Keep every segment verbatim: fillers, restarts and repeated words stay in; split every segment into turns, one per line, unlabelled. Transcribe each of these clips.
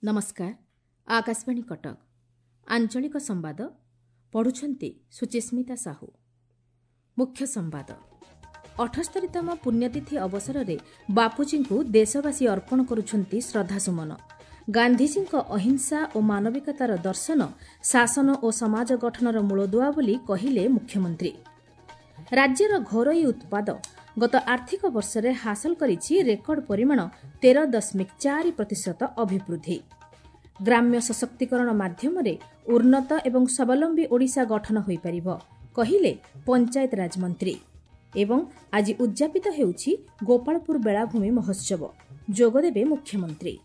ନମସ୍କାର, ଆକାଶବାଣୀ କଟକ, ଆଞ୍ଚଳିକ ସମ୍ବାଦ ପଢ଼ୁଛନ୍ତି ସୁଚିସ୍ମିତା ସାହୁ। ମୁଖ୍ୟ ସମ୍ବାଦ। ଅଠସ୍ତରୀତମ ପୁଣ୍ୟତିଥି ଅବସରରେ ବାପୁଜୀଙ୍କୁ ଦେଶବାସୀ ଅର୍ପଣ କରୁଛନ୍ତି ଶ୍ରଦ୍ଧାସୁମନ। ଗାନ୍ଧିଜୀଙ୍କ ଅହିଂସା ଓ ମାନବିକତାର ଦର୍ଶନ ଶାସନ ଓ ସମାଜ ଗଠନର ମୂଳଦୁଆ ବୋଲି କହିଲେ ମୁଖ୍ୟମନ୍ତ୍ରୀ। ରାଜ୍ୟର ଘରୋଇ ଉତ୍ପାଦ ଗତ ଆର୍ଥିକ ବର୍ଷରେ ହାସଲ କରିଛି ରେକର୍ଡ ପରିମାଣ ତେର ଦଶମିକ ଚାରି ପ୍ରତିଶତ ଅଭିବୃଦ୍ଧି। ଗ୍ରାମ୍ୟ ସଶକ୍ତିକରଣ ମାଧ୍ୟମରେ ଉନ୍ନତ ଏବଂ ସ୍ୱାବଲମ୍ବୀ ଓଡ଼ିଶା ଗଠନ ହୋଇପାରିବ, କହିଲେ ପଞ୍ଚାୟତରାଜ ମନ୍ତ୍ରୀ। ଏବଂ ଆଜି ଉଦ୍ଯାପିତ ହେଉଛି ଗୋପାଳପୁର ବେଳାଭୂମି ମହୋତ୍ସବ, ଯୋଗଦେବେ ମୁଖ୍ୟମନ୍ତ୍ରୀ।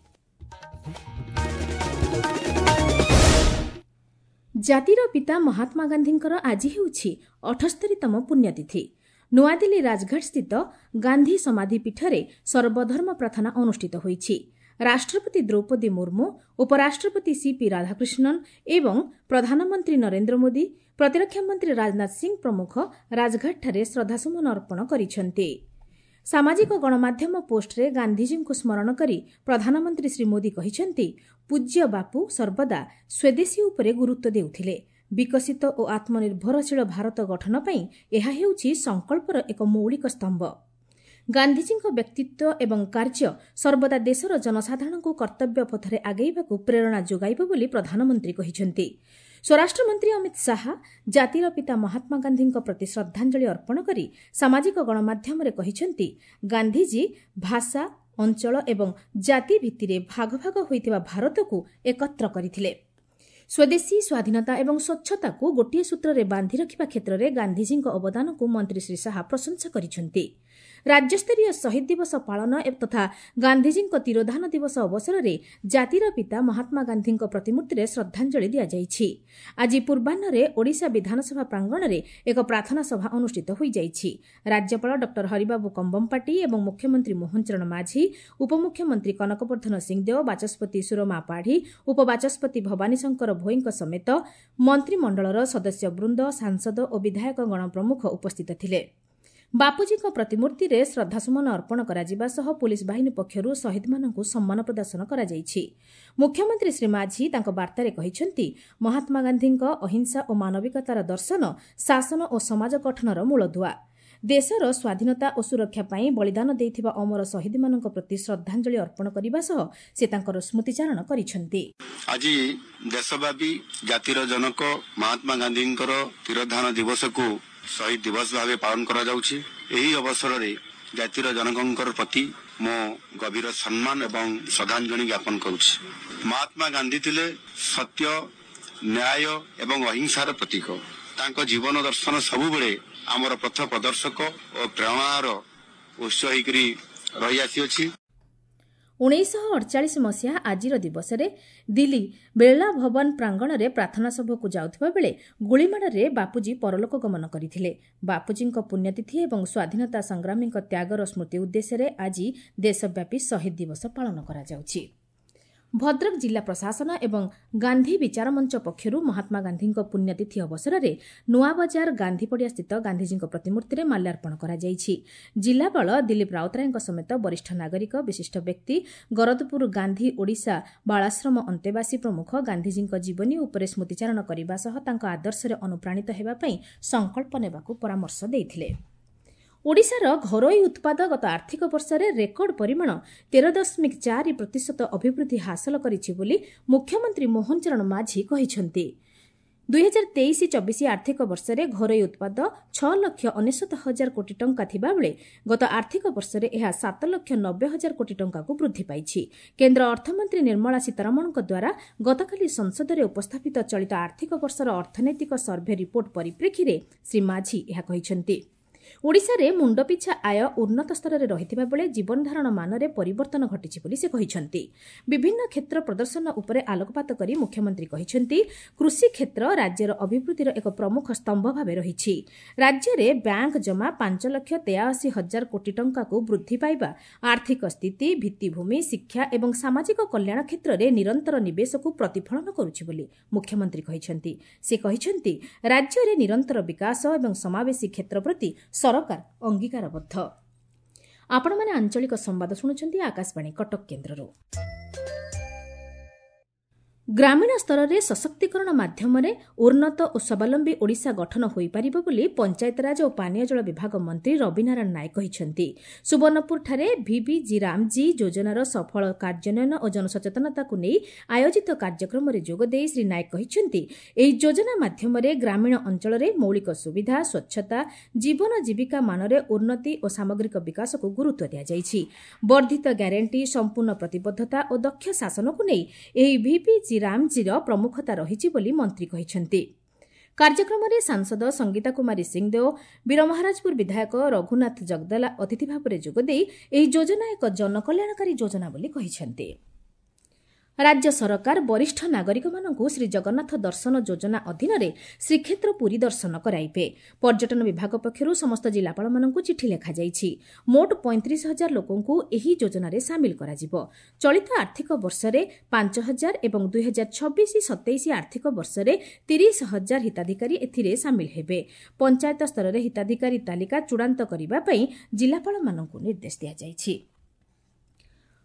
ଜାତିର ପିତା ମହାତ୍ମା ଗାନ୍ଧୀଙ୍କର ଆଜି ହେଉଛି ଅଠସ୍ତରୀତମ ପୁଣ୍ୟତିଥି। ନୂଆଦିଲ୍ଲୀ ରାଜଘାଟସ୍ଥିତ ଗାନ୍ଧୀ ସମାଧି ପୀଠରେ ସର୍ବଧର୍ମ ପ୍ରାର୍ଥନା ଅନୁଷ୍ଠିତ ହୋଇଛି। ରାଷ୍ଟ୍ରପତି ଦ୍ରୌପଦୀ ମୁର୍ମୁ, ଉପରାଷ୍ଟ୍ରପତି ସିପି ରାଧାକୃଷ୍ଣନ୍ ଏବଂ ପ୍ରଧାନମନ୍ତ୍ରୀ ନରେନ୍ଦ୍ର ମୋଦି, ପ୍ରତିରକ୍ଷା ମନ୍ତ୍ରୀ ରାଜନାଥ ସିଂ ପ୍ରମୁଖ ରାଜଘାଟଠାରେ ଶ୍ରଦ୍ଧାସୁମନ ଅର୍ପଣ କରିଛନ୍ତି। ସାମାଜିକ ଗଣମାଧ୍ୟମ ପୋଷ୍ଟରେ ଗାନ୍ଧିଜୀଙ୍କୁ ସ୍ମରଣ କରି ପ୍ରଧାନମନ୍ତ୍ରୀ ଶ୍ରୀ ମୋଦି କହିଛନ୍ତି, ପୂଜ୍ୟ ବାପୁ ସର୍ବଦା ସ୍ୱଦେଶୀ ଉପରେ ଗୁରୁତ୍ୱ ଦେଉଥିଲେ। ବିକଶିତ ଓ ଆତ୍ମନିର୍ଭରଶୀଳ ଭାରତ ଗଠନ ପାଇଁ ଏହା ହେଉଛି ସଂକଳ୍ପର ଏକ ମୌଳିକ ସ୍ତମ୍ଭ। ଗାନ୍ଧିଜୀଙ୍କ ବ୍ୟକ୍ତିତ୍ୱ ଏବଂ କାର୍ଯ୍ୟ ସର୍ବଦା ଦେଶର ଜନସାଧାରଣଙ୍କୁ କର୍ତ୍ତବ୍ୟ ପଥରେ ଆଗେଇବାକୁ ପ୍ରେରଣା ଯୋଗାଇବ ବୋଲି ପ୍ରଧାନମନ୍ତ୍ରୀ କହିଛନ୍ତି। ସ୍ୱରାଷ୍ଟ୍ରମନ୍ତ୍ରୀ ଅମିତ ଶାହା ଜାତିର ପିତା ମହାତ୍ମା ଗାନ୍ଧୀଙ୍କ ପ୍ରତି ଶ୍ରଦ୍ଧାଞ୍ଜଳି ଅର୍ପଣ କରି ସାମାଜିକ ଗଣମାଧ୍ୟମରେ କହିଛନ୍ତି, ଗାନ୍ଧିଜୀ ଭାଷା, ଅଞ୍ଚଳ ଏବଂ ଜାତି ଭିତ୍ତିରେ ଭାଗ ଭାଗ ହୋଇଥିବା ଭାରତକୁ ଏକତ୍ର କରିଥିଲେ। ସ୍ୱଦେଶୀ, ସ୍ୱାଧୀନତା ଏବଂ ସ୍ୱଚ୍ଛତାକୁ ଗୋଟିଏ ସୂତ୍ରରେ ବାନ୍ଧି ରଖିବା କ୍ଷେତ୍ରରେ ଗାନ୍ଧିଜୀଙ୍କ ଅବଦାନକୁ ମନ୍ତ୍ରୀ ଶ୍ରୀ ଶାହା ପ୍ରଶଂସା କରିଛନ୍ତି। ରାଜ୍ୟସ୍ତରୀୟ ଶହୀଦ ଦିବସ ପାଳନ ତଥା ଗାନ୍ଧିଜୀଙ୍କ ତିରୋଧାନ ଦିବସ ଅବସରରେ ଜାତିର ପିତା ମହାତ୍ମା ଗାନ୍ଧୀଙ୍କ ପ୍ରତିମୂର୍ତ୍ତିରେ ଶ୍ରଦ୍ଧାଞ୍ଜଳି ଦିଆଯାଇଛି। ଆଜି ପୂର୍ବାହ୍ନରେ ଓଡ଼ିଶା ବିଧାନସଭା ପ୍ରାଙ୍ଗଣରେ ଏକ ପ୍ରାର୍ଥନା ସଭା ଅନୁଷ୍ଠିତ ହୋଇଯାଇଛି। ରାଜ୍ୟପାଳ ଡକ୍ଟର ହରିବାବୁ କମ୍ବମପାଟି ଏବଂ ମୁଖ୍ୟମନ୍ତ୍ରୀ ମୋହନ ଚରଣ ମାଝୀ, ଉପମୁଖ୍ୟମନ୍ତ୍ରୀ କନକବର୍ଦ୍ଧନ ସିଂଦେଓ, ବାଚସ୍ପତି ସୁରମା ପାଢ଼ୀ, ଉପବାଚସ୍ପତି ଭବାନୀ ଶଙ୍କର ଭୋଇଙ୍କ ସମେତ ମନ୍ତ୍ରିମଣ୍ଡଳର ସଦସ୍ୟବୃନ୍ଦ, ସାଂସଦ ଓ ବିଧାୟକଗଣ ପ୍ରମୁଖ ଉପସ୍ଥିତ ଥିଲେ। ବାପୁଜୀଙ୍କ ପ୍ରତିମୂର୍ତ୍ତିରେ ଶ୍ରଦ୍ଧାସୁମନ ଅର୍ପଣ କରାଯିବା ସହ ପୁଲିସ୍ ବାହିନୀ ପକ୍ଷରୁ ଶହୀଦମାନଙ୍କୁ ସମ୍ମାନ ପ୍ରଦର୍ଶନ କରାଯାଇଛି। ମୁଖ୍ୟମନ୍ତ୍ରୀ ଶ୍ରୀ ମାଝୀ ତାଙ୍କ ବାର୍ତ୍ତାରେ କହିଛନ୍ତି, ମହାତ୍ମା ଗାନ୍ଧୀଙ୍କ ଅହିଂସା ଓ ମାନବିକତାର ଦର୍ଶନ ଶାସନ ଓ ସମାଜ ଗଠନର ମୂଳଦୁଆ। ଦେଶର ସ୍ୱାଧୀନତା ଓ ସୁରକ୍ଷା ପାଇଁ ବଳିଦାନ ଦେଇଥିବା ଅମର ଶହୀଦମାନଙ୍କ ପ୍ରତି ଶ୍ରଦ୍ଧାଞ୍ଜଳି ଅର୍ପଣ କରିବା ସହ ସେ ତାଙ୍କର ସ୍ମୃତିଚାରଣ କରିଛନ୍ତି।
ଆଜି ଦେଶବ୍ୟାପୀ ଜାତିର ଜନକ ମହାତ୍ମା ଗାନ୍ଧୀଙ୍କର ତିରୋଧାନ ଦିବସକୁ ଶହୀଦ ଦିବସ ଭାବେ ପାଳନ କରାଯାଉଛି। ଏହି ଅବସରରେ ଜାତିର ଜନକଙ୍କର ପ୍ରତି ମୁଁ ଗଭୀର ସମ୍ମାନ ଏବଂ ଶ୍ରଦ୍ଧାଞ୍ଜଳି ଜ୍ଞାପନ କରୁଛି। ମହାତ୍ମା ଗାନ୍ଧୀ ଥିଲେ ସତ୍ୟ, ନ୍ୟାୟ ଏବଂ ଅହିଂସାର ପ୍ରତୀକ। ତାଙ୍କ ଜୀବନ ଦର୍ଶନ ସବୁବେଳେ ଆମର ପଥ ପ୍ରଦର୍ଶକ ଓ ପ୍ରେରଣାର ଉତ୍ସ ହୋଇକରି ରହିଆସିଅଛି।
ଉଣେଇଶହ ଅଡ଼ଚାଳିଶ ମସିହା ଆଜିର ଦିବସରେ ଦିଲ୍ଲୀ ବିର୍ଲା ଭବନ ପ୍ରାଙ୍ଗଣରେ ପ୍ରାର୍ଥନା ସଭାକୁ ଯାଉଥିବା ବେଳେ ଗୁଳିମାଡ଼ରେ ବାପୁଜୀ ପରଲୋକ ଗମନ କରିଥିଲେ। ବାପୁଜୀଙ୍କ ପୁଣ୍ୟତିଥି ଏବଂ ସ୍ୱାଧୀନତା ସଂଗ୍ରାମୀଙ୍କ ତ୍ୟାଗର ସ୍ମୃତି ଉଦ୍ଦେଶ୍ୟରେ ଆଜି ଦେଶବ୍ୟାପୀ ଶହୀଦ ଦିବସ ପାଳନ କରାଯାଉଛି। ଭଦ୍ରକ ଜିଲ୍ଲା ପ୍ରଶାସନ ଏବଂ ଗାନ୍ଧୀ ବିଚାର ମଞ୍ଚ ପକ୍ଷରୁ ମହାତ୍ମା ଗାନ୍ଧୀଙ୍କ ପୁଣ୍ୟତିଥି ଅବସରରେ ନୂଆବଜାର ଗାନ୍ଧୀପଡ଼ିଆସ୍ଥିତ ଗାନ୍ଧିଜୀଙ୍କ ପ୍ରତିମୂର୍ତ୍ତିରେ ମାଲ୍ୟାର୍ପଣ କରାଯାଇଛି। ଜିଲ୍ଲାପାଳ ଦିଲ୍ଲୀପ ରାଉତରାୟଙ୍କ ସମେତ ବରିଷ୍ଠ ନାଗରିକ, ବିଶିଷ୍ଟ ବ୍ୟକ୍ତି, ଗରଦପୁର ଗାନ୍ଧୀ ଓଡ଼ିଶା ବାଳାଶ୍ରମ ଅନ୍ତେବାସୀ ପ୍ରମୁଖ ଗାନ୍ଧିଜୀଙ୍କ ଜୀବନୀ ଉପରେ ସ୍ମୃତିଚାରଣ କରିବା ସହ ତାଙ୍କ ଆଦର୍ଶରେ ଅନୁପ୍ରାଣିତ ହେବା ପାଇଁ ସଂକଳ୍ପ ନେବାକୁ ପରାମର୍ଶ ଦେଇଥିଲେ। ଓଡ଼ିଶାର ଘରୋଇ ଉତ୍ପାଦ ଗତ ଆର୍ଥିକ ବର୍ଷରେ ରେକର୍ଡ ପରିମାଣ ତେର ଦଶମିକ ଚାରି ପ୍ରତିଶତ ଅଭିବୃଦ୍ଧି ହାସଲ କରିଛି ବୋଲି ମୁଖ୍ୟମନ୍ତ୍ରୀ ମୋହନ ଚରଣ ମାଝୀ କହିଛନ୍ତି। ଦୁଇହଜାର ତେଇଶ ଚବିଶ ଆର୍ଥିକ ବର୍ଷରେ ଘରୋଇ ଉତ୍ପାଦ ଛଅ ଲକ୍ଷ ଅନେଶତ ହଜାର କୋଟି ଟଙ୍କା ଥିବାବେଳେ ଗତ ଆର୍ଥିକ ବର୍ଷରେ ଏହା ସାତ ଲକ୍ଷ ନବେ ହଜାର କୋଟି ଟଙ୍କାକୁ ବୃଦ୍ଧି ପାଇଛି। କେନ୍ଦ୍ର ଅର୍ଥମନ୍ତ୍ରୀ ନିର୍ମଳା ସୀତାରମଣଙ୍କ ଦ୍ୱାରା ଗତକାଲି ସଂସଦରେ ଉପସ୍ଥାପିତ ଚଳିତ ଆର୍ଥିକ ବର୍ଷର ଅର୍ଥନୈତିକ ସର୍ଭେ ରିପୋର୍ଟ ପରିପ୍ରେକ୍ଷୀରେ ଶ୍ରୀ ମାଝୀ ଏହା କହିଛନ୍ତି। ଓଡ଼ିଶାରେ ମୁଣ୍ଡପିଛା ଆୟ ଉନ୍ନତ ସ୍ତରରେ ରହିଥିବା ବେଳେ ଜୀବନଧାରଣ ମାନରେ ପରିବର୍ତ୍ତନ ଘଟିଛି ବୋଲି ସେ କହିଛନ୍ତି। ବିଭିନ୍ନ କ୍ଷେତ୍ର ପ୍ରଦର୍ଶନ ଉପରେ ଆଲୋକପାତ କରି ମୁଖ୍ୟମନ୍ତ୍ରୀ କହିଛନ୍ତି, କୃଷି କ୍ଷେତ୍ର ରାଜ୍ୟର ଅଭିବୃଦ୍ଧିର ଏକ ପ୍ରମୁଖ ସ୍ତମ୍ଭ ଭାବେ ରହିଛି। ରାଜ୍ୟରେ ବ୍ୟାଙ୍କ ଜମା ପାଞ୍ଚ ଲକ୍ଷ ତେୟାଅଶୀ ହଜାର କୋଟି ଟଙ୍କାକୁ ବୃଦ୍ଧି ପାଇବା, ଆର୍ଥିକ ସ୍ଥିତି, ଭିତ୍ତିଭୂମି, ଶିକ୍ଷା ଏବଂ ସାମାଜିକ କଲ୍ୟାଣ କ୍ଷେତ୍ରରେ ନିରନ୍ତର ନିବେଶକୁ ପ୍ରତିଫଳନ କରୁଛି ବୋଲି ମୁଖ୍ୟମନ୍ତ୍ରୀ କହିଛନ୍ତି। ସେ କହିଛନ୍ତି, ରାଜ୍ୟରେ ନିରନ୍ତର ବିକାଶ ଏବଂ ସମାବେଶୀ କ୍ଷେତ୍ର ପ୍ରତି ସରକାର ଅଙ୍ଗୀକାରବଦ୍ଧ। ଆପଣମାନେ ଆଞ୍ଚଳିକ ସମ୍ବାଦ ଶୁଣୁଛନ୍ତି ଆକାଶବାଣୀ କଟକ କେନ୍ଦ୍ରରୁ। ଗ୍ରାମୀଣ ସ୍ତରରେ ସଶକ୍ତିକରଣ ମାଧ୍ୟମରେ ଉନ୍ନତ ଓ ସ୍ୱାବଲମ୍ବୀ ଓଡ଼ିଶା ଗଠନ ହୋଇପାରିବ ବୋଲି ପଞ୍ଚାୟତିରାଜ ଓ ପାନୀୟ ଜଳ ବିଭାଗ ମନ୍ତ୍ରୀ ରବିନାରାୟଣ ନାୟକ କହିଛନ୍ତି। ସୁବର୍ଣ୍ଣପୁରଠାରେ ଭିବିଜି ରାମଜୀ ଯୋଜନାର ସଫଳ କାର୍ଯ୍ୟାନ୍ୱୟନ ଓ ଜନସଚେତନତାକୁ ନେଇ ଆୟୋଜିତ କାର୍ଯ୍ୟକ୍ରମରେ ଯୋଗଦେଇ ଶ୍ରୀ ନାୟକ କହିଛନ୍ତି, ଏହି ଯୋଜନା ମାଧ୍ୟମରେ ଗ୍ରାମୀଣ ଅଞ୍ଚଳରେ ମୌଳିକ ସୁବିଧା, ସ୍ୱଚ୍ଛତା, ଜୀବନ ଜୀବିକା ମାନରେ ଉନ୍ନତି ଓ ସାମଗ୍ରିକ ବିକାଶକୁ ଗୁରୁତ୍ୱ ଦିଆଯାଇଛି। ବର୍ଦ୍ଧିତ ଗ୍ୟାରେଣ୍ଟି, ସମ୍ପୂର୍ଣ୍ଣ ପ୍ରତିବଦ୍ଧତା ଓ ଦକ୍ଷ ଶାସନକୁ ନେଇ ଏହି ଭିବିଜି ରାମଜୀର ପ୍ରମୁଖତା ରହିଛି ବୋଲି ମନ୍ତ୍ରୀ କହିଛନ୍ତି। କାର୍ଯ୍ୟକ୍ରମରେ ସାଂସଦ ସଙ୍ଗୀତା କୁମାରୀ ସିଂଦେଓ, ବୀରମହାରାଜପୁର ବିଧାୟକ ରଘୁନାଥ ଜଗଦଲା ଅତିଥି ଭାବରେ ଯୋଗଦେଇ ଏହି ଯୋଜନା ଏକ ଜନକଲ୍ୟାଣକାରୀ ଯୋଜନା ବୋଲି କହିଛନ୍ତି। ରାଜ୍ୟ ସରକାର ବରିଷ୍ଠ ନାଗରିକମାନଙ୍କୁ ଶ୍ରୀଜଗନ୍ନାଥ ଦର୍ଶନ ଯୋଜନା ଅଧୀନରେ ଶ୍ରୀକ୍ଷେତ୍ର ପୁରୀ ଦର୍ଶନ କରାଇବେ। ପର୍ଯ୍ୟଟନ ବିଭାଗ ପକ୍ଷରୁ ସମସ୍ତ ଜିଲ୍ଲାପାଳମାନଙ୍କୁ ଚିଠି ଲେଖାଯାଇଛି। ମୋଟ ପଇଁତିରିଶ ହଜାର ଲୋକଙ୍କୁ ଏହି ଯୋଜନାରେ ସାମିଲ କରାଯିବ। ଚଳିତ ଆର୍ଥିକ ବର୍ଷରେ ପାଞ୍ଚ ହଜାର ଏବଂ ଦୁଇ ହଜାର ଛବିଶ ସତେଇଶ ଆର୍ଥିକ ବର୍ଷରେ ତିରିଶ ହଜାର ହିତାଧିକାରୀ ଏଥିରେ ସାମିଲ ହେବେ। ପଞ୍ଚାୟତ ସ୍ତରରେ ହିତାଧିକାରୀ ତାଲିକା ଚୂଡ଼ାନ୍ତ କରିବା ପାଇଁ ଜିଲ୍ଲାପାଳମାନଙ୍କୁ ନିର୍ଦ୍ଦେଶ ଦିଆଯାଇଛି।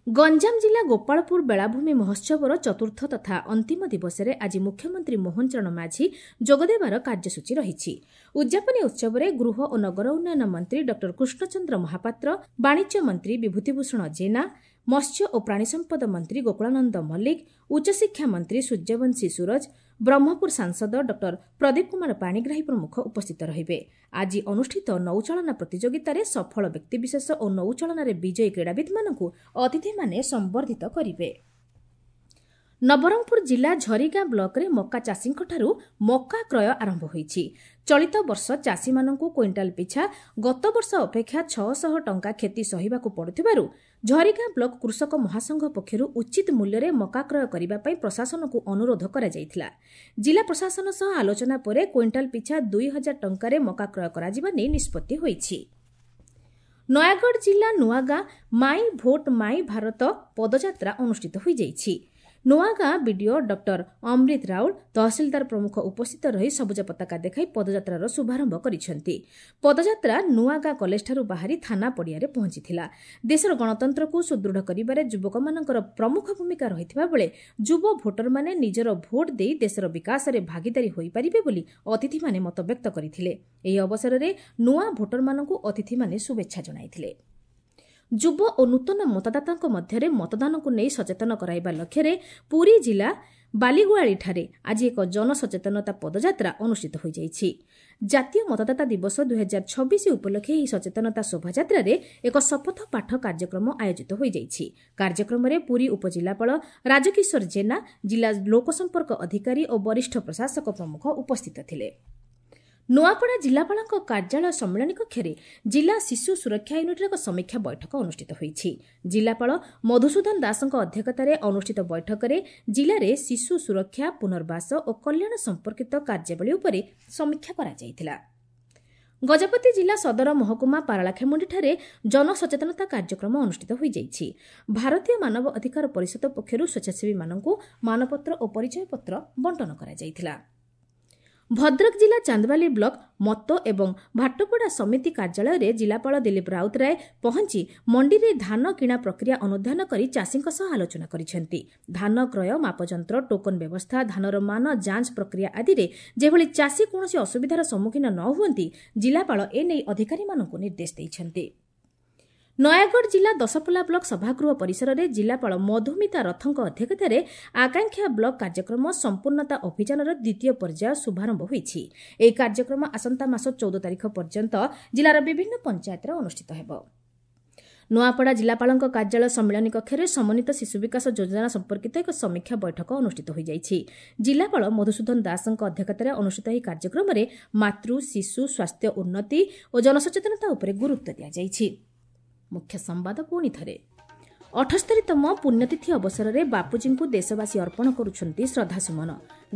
ଗଞ୍ଜାମ ଜିଲ୍ଲା ଗୋପାଳପୁର ବେଳାଭୂମି ମହୋତ୍ସବର ଚତୁର୍ଥ ତଥା ଅନ୍ତିମ ଦିବସରେ ଆଜି ମୁଖ୍ୟମନ୍ତ୍ରୀ ମୋହନ ଚରଣ ମାଝୀ ଯୋଗଦେବାର କାର୍ଯ୍ୟସୂଚୀ ରହିଛି। ଉଦ୍ଯାପନୀ ଉତ୍ସବରେ ଗୃହ ଓ ନଗର ଉନ୍ନୟନ ମନ୍ତ୍ରୀ ଡକ୍ଟର କୃଷ୍ଣଚନ୍ଦ୍ର ମହାପାତ୍ର, ବାଣିଜ୍ୟ ମନ୍ତ୍ରୀ ବିଭୂତିଭୂଷଣ ଜେନା, ମତ୍ସ୍ୟ ଓ ପ୍ରାଣୀସମ୍ପଦ ମନ୍ତ୍ରୀ ଗୋକୁଳାନନ୍ଦ ମଲ୍ଲିକ, ଉଚ୍ଚଶିକ୍ଷା ମନ୍ତ୍ରୀ ସୂର୍ଯ୍ୟବଂଶୀ ସୂରଜ, ବ୍ରହ୍ମପୁର ସାଂସଦ ଡକ୍ଟର ପ୍ରଦୀପ କୁମାର ପାଣିଗ୍ରାହୀ ପ୍ରମୁଖ ଉପସ୍ଥିତ ରହିବେ। ଆଜି ଅନୁଷ୍ଠିତ ନୌଚାଳନା ପ୍ରତିଯୋଗିତାରେ ସଫଳ ବ୍ୟକ୍ତିବିଶେଷ ଓ ନୌଚାଳନାରେ ବିଜୟୀ କ୍ରୀଡ଼ାବିତ୍ମାନଙ୍କୁ ଅତିଥିମାନେ ସମ୍ବର୍ଦ୍ଧିତ କରିବେ। ନବରଙ୍ଗପୁର ଜିଲ୍ଲା ଝରିଗାଁ ବ୍ଲକରେ ମକା ଚାଷୀଙ୍କଠାରୁ ମକା କ୍ରୟ ଆରମ୍ଭ ହୋଇଛି। ଚଳିତ ବର୍ଷ ଚାଷୀମାନଙ୍କୁ କ୍ୱିଣ୍ଟାଲ ପିଛା ଗତବର୍ଷ ଅପେକ୍ଷା ଛଅଶହ ଟଙ୍କା କ୍ଷତି ସହିବାକୁ ପଡୁଥିବାରୁ ଝରିଗାଁ ବ୍ଲକ କୃଷକ ମହାସଂଘ ପକ୍ଷରୁ ଉଚିତ ମୂଲ୍ୟରେ ମକା କ୍ରୟ କରିବା ପାଇଁ ପ୍ରଶାସନକୁ ଅନୁରୋଧ କରାଯାଇଥିଲା। ଜିଲ୍ଲା ପ୍ରଶାସନ ସହ ଆଲୋଚନା ପରେ କ୍ୱିଣ୍ଟାଲ ପିଛା ଦୁଇ ହଜାର ଟଙ୍କାରେ ମକା କ୍ରୟ କରାଯିବା ନେଇ ନିଷ୍ପତ୍ତି ହୋଇଛି। ନୟାଗଡ଼ ଜିଲ୍ଲା ନୂଆଗାଁ ମାଇ ଭୋଟ ମାଇ ଭାରତ ପଦଯାତ୍ରା ଅନୁଷ୍ଠିତ ହୋଇଯାଇଛି। ନୂଆଗାଁ ବିଡିଓ ଡକ୍ଟର ଅମ୍ରିତ ରାଉଳ, ତହସିଲଦାର ପ୍ରମୁଖ ଉପସ୍ଥିତ ରହି ସବୁଜ ପତାକା ଦେଖାଇ ପଦଯାତ୍ରାର ଶୁଭାରମ୍ଭ କରିଛନ୍ତି। ପଦଯାତ୍ରା ନୂଆଗାଁ କଲେଜଠାରୁ ବାହାରି ଥାନା ପଡ଼ିଆରେ ପହଞ୍ଚିଥିଲା। ଦେଶର ଗଣତନ୍ତ୍ରକୁ ସୁଦୃଢ଼ କରିବାରେ ଯୁବକମାନଙ୍କର ପ୍ରମୁଖ ଭୂମିକା ରହିଥିବା ବେଳେ ଯୁବ ଭୋଟରମାନେ ନିଜର ଭୋଟ ଦେଇ ଦେଶର ବିକାଶରେ ଭାଗିଦାରୀ ହୋଇପାରିବେ ବୋଲି ଅତିଥିମାନେ ମତବ୍ୟକ୍ତ କରିଥିଲେ। ଏହି ଅବସରରେ ନୂଆ ଭୋଟରମାନଙ୍କୁ ଅତିଥିମାନେ ଶୁଭେଚ୍ଛା ଜଣାଇଥିଲେ। ଯୁବ ଓ ନୂତନ ମତଦାତାଙ୍କ ମଧ୍ୟରେ ମତଦାନକୁ ନେଇ ସଚେତନ କରାଇବା ଲକ୍ଷ୍ୟରେ ପୁରୀ ଜିଲ୍ଲା ବାଲିଗୁଆଳିଠାରେ ଆଜି ଏକ ଜନସଚେତନତା ପଦଯାତ୍ରା ଅନୁଷ୍ଠିତ ହୋଇଯାଇଛି। ଜାତୀୟ ମତଦାତା ଦିବସ ଦୁଇହଜାର ଛବିଶ ଉପଲକ୍ଷେ ଏହି ସଚେତନତା ଶୋଭାଯାତ୍ରାରେ ଏକ ଶପଥ ପାଠ କାର୍ଯ୍ୟକ୍ରମ ଆୟୋଜିତ ହୋଇଯାଇଛି। କାର୍ଯ୍ୟକ୍ରମରେ ପୁରୀ ଉପଜିଲ୍ଲାପାଳ ରାଜକିଶୋର ଜେନା, ଜିଲ୍ଲା ଲୋକସମ୍ପର୍କ ଅଧିକାରୀ ଓ ବରିଷ୍ଠ ପ୍ରଶାସକ ପ୍ରମୁଖ ଉପସ୍ଥିତ ଥିଲେ। ନୂଆପଡ଼ା ଜିଲ୍ଲାପାଳଙ୍କ କାର୍ଯ୍ୟାଳୟ ସମ୍ମିଳନୀ କକ୍ଷରେ ଜିଲ୍ଲା ଶିଶୁ ସୁରକ୍ଷା ୟୁନିଟ୍ର ଏକ ସମୀକ୍ଷା ବୈଠକ ଅନୁଷ୍ଠିତ ହୋଇଛି। ଜିଲ୍ଲାପାଳ ମଧୁସୂଦନ ଦାସଙ୍କ ଅଧ୍ୟକ୍ଷତାରେ ଅନୁଷ୍ଠିତ ବୈଠକରେ ଜିଲ୍ଲାରେ ଶିଶୁ ସୁରକ୍ଷା, ପୁନର୍ବାସ ଓ କଲ୍ୟାଣ ସମ୍ପର୍କିତ କାର୍ଯ୍ୟାବଳୀ ଉପରେ ସମୀକ୍ଷା କରାଯାଇଥିଲା। ଗଜପତି ଜିଲ୍ଲା ସଦର ମହକୁମା ପାରଳାଖେମୁଣ୍ଡିଠାରେ ଜନସଚେତନତା କାର୍ଯ୍ୟକ୍ରମ ଅନୁଷ୍ଠିତ ହୋଇଯାଇଛି। ଭାରତୀୟ ମାନବ ଅଧିକାର ପରିଷଦ ପକ୍ଷରୁ ସ୍ୱେଚ୍ଛାସେବୀମାନଙ୍କୁ ମାନପତ୍ର ଓ ପରିଚୟପତ୍ର ବଣ୍ଟନ କରାଯାଇଥିଲା। ଭଦ୍ରକ ଜିଲ୍ଲା ଚାନ୍ଦବାଲି ବ୍ଲକ ମତ ଏବଂ ଭାଟପଡ଼ା ସମିତି କାର୍ଯ୍ୟାଳୟରେ ଜିଲ୍ଲାପାଳ ଦିଲ୍ଲୀପ ରାଉତରାୟ ପହଞ୍ଚି ମଣ୍ଡିରେ ଧାନ କିଣା ପ୍ରକ୍ରିୟା ଅନୁଧ୍ୟାନ କରି ଚାଷୀଙ୍କ ସହ ଆଲୋଚନା କରିଛନ୍ତି। ଧାନ କ୍ରୟ, ମାପଯନ୍ତ୍ର, ଟୋକନ ବ୍ୟବସ୍ଥା, ଧାନର ମାନ ଯାଞ୍ଚ ପ୍ରକ୍ରିୟା ଆଦିରେ ଯେଭଳି ଚାଷୀ କୌଣସି ଅସୁବିଧାର ସମ୍ମୁଖୀନ ନ ହୁଅନ୍ତି, ଜିଲ୍ଲାପାଳ ଏନେଇ ଅଧିକାରୀମାନଙ୍କୁ ନିର୍ଦ୍ଦେଶ ଦେଇଛନ୍ତି। ନୟାଗଡ଼ ଜିଲ୍ଲା ଦଶପଲ୍ଲା ବ୍ଲକ ସଭାଗୃହ ପରିସରରେ ଜିଲ୍ଲାପାଳ ମଧୁମିତା ରଥଙ୍କ ଅଧ୍ୟକ୍ଷତାରେ ଆକାଂକ୍ଷା ବ୍ଲକ କାର୍ଯ୍ୟକ୍ରମ ସମ୍ପୂର୍ଣ୍ଣତା ଅଭିଯାନର ଦ୍ୱିତୀୟ ପର୍ଯ୍ୟାୟ ଶୁଭାରମ୍ଭ ହୋଇଛି। ଏହି କାର୍ଯ୍ୟକ୍ରମ ଆସନ୍ତା ମାସ ଚଉଦ ତାରିଖ ପର୍ଯ୍ୟନ୍ତ ଜିଲ୍ଲାର ବିଭିନ୍ନ ପଞ୍ଚାୟତରେ ଅନୁଷ୍ଠିତ ହେବ। ନୂଆପଡ଼ା ଜିଲ୍ଲାପାଳଙ୍କ କାର୍ଯ୍ୟାଳୟ ସମ୍ମିଳନୀ କକ୍ଷରେ ସମନ୍ୱିତ ଶିଶୁ ବିକାଶ ଯୋଜନା ସମ୍ପର୍କିତ ଏକ ସମୀକ୍ଷା ବୈଠକ ଅନୁଷ୍ଠିତ ହୋଇଯାଇଛି। ଜିଲ୍ଲାପାଳ ମଧୁସୂଦନ ଦାସଙ୍କ ଅଧ୍ୟକ୍ଷତାରେ ଅନୁଷ୍ଠିତ ଏହି କାର୍ଯ୍ୟକ୍ରମରେ ମାତୃ ଶିଶୁ ସ୍ୱାସ୍ଥ୍ୟ ଉନ୍ନତି ଓ ଜନସଚେତନତା ଉପରେ ଗୁରୁତ୍ୱ ଦିଆଯାଇଛି। ମୁଖ୍ୟ ସମ୍ବାଦ ପୁଣି ଥରେ। ଅଠସ୍ତରୀତମ ପୁଣ୍ୟତିଥି ଅବସରରେ ବାପୁଜୀଙ୍କୁ ଦେଶବାସୀ ଅର୍ପଣ କରୁଛନ୍ତି ଶ୍ରଦ୍ଧାସୁମନ।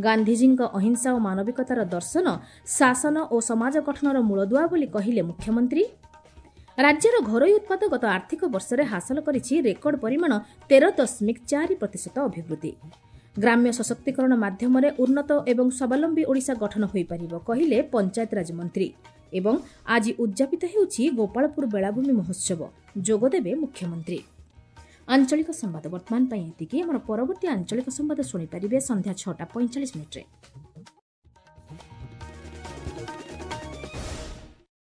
ଗାନ୍ଧିଜୀଙ୍କ ଅହିଂସା ଓ ମାନବିକତାର ଦର୍ଶନ ଶାସନ ଓ ସମାଜ ଗଠନର ମୂଳଦୁଆ ବୋଲି କହିଲେ ମୁଖ୍ୟମନ୍ତ୍ରୀ। ରାଜ୍ୟର ଘରୋଇ ଉତ୍ପାଦ ଗତ ଆର୍ଥିକ ବର୍ଷରେ ହାସଲ କରିଛି ରେକର୍ଡ ପରିମାଣ ତେର ଦଶମିକ ଚାରି ପ୍ରତିଶତ ଅଭିବୃଦ୍ଧି। ଗ୍ରାମ୍ୟ ସଶକ୍ତିକରଣ ମାଧ୍ୟମରେ ଉନ୍ନତ ଏବଂ ସ୍ୱାବଲମ୍ବୀ ଓଡ଼ିଶା ଗଠନ ହୋଇପାରିବ କହିଲେ ପଞ୍ଚାୟତିରାଜ ମନ୍ତ୍ରୀ। ଏବଂ ଆଜି ଉଦ୍ଯାପିତ ହେଉଛି ଗୋପାଳପୁର ବେଳାଭୂମି ମହୋତ୍ସବ, ଯୋଗଦେବେ ମୁଖ୍ୟମନ୍ତ୍ରୀ। ଆଞ୍ଚଳିକ ସମ୍ବାଦ ବର୍ତ୍ତମାନ ପାଇଁ ଏତିକି। ଆମର ପରବର୍ତ୍ତୀ ଆଞ୍ଚଳିକ ସମ୍ବାଦ ଶୁଣିପାରିବେ ସନ୍ଧ୍ୟା ଛଅଟା ପଇଁଚାଳିଶ ମିନିଟ୍ରେ।